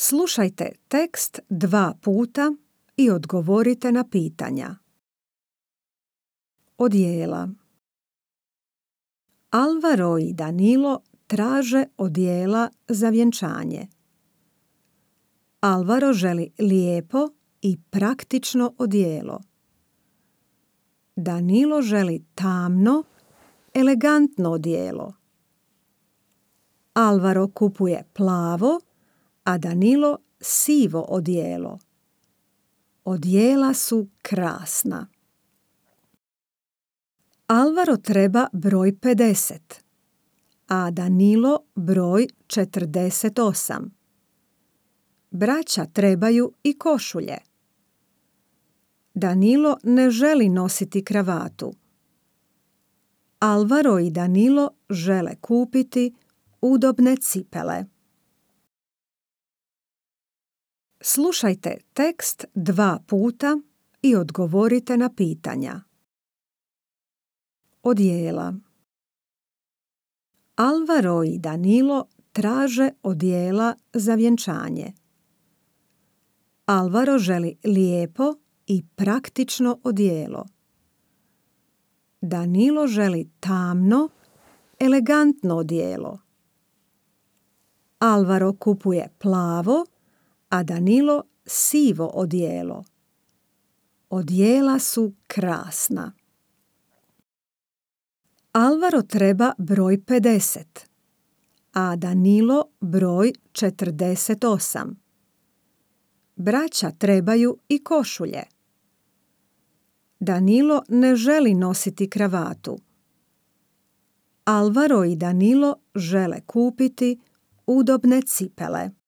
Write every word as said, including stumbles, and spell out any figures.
Slušajte tekst dva puta i odgovorite na pitanja. Odijela. Alvaro i Danilo traže odijela za vjenčanje. Alvaro želi lijepo i praktično odijelo. Danilo želi tamno, elegantno odijelo. Alvaro kupuje plavo, a Danilo sivo odijelo. Odijela su krasna. Alvaro treba broj pedeset, a Danilo broj četrdeset osam. Braća trebaju i košulje. Danilo ne želi nositi kravatu. Alvaro i Danilo žele kupiti udobne cipele. Slušajte tekst dva puta i odgovorite na pitanja. Odijela. Alvaro i Danilo traže odijela za vjenčanje. Alvaro želi lijepo i praktično odijelo. Danilo želi tamno, elegantno odijelo. Alvaro kupuje plavo, a Danilo sivo odijelo. Odijela su krasna. Alvaro treba broj pedeset, a Danilo broj četrdeset osam. Braća trebaju i košulje. Danilo ne želi nositi kravatu. Alvaro i Danilo žele kupiti udobne cipele.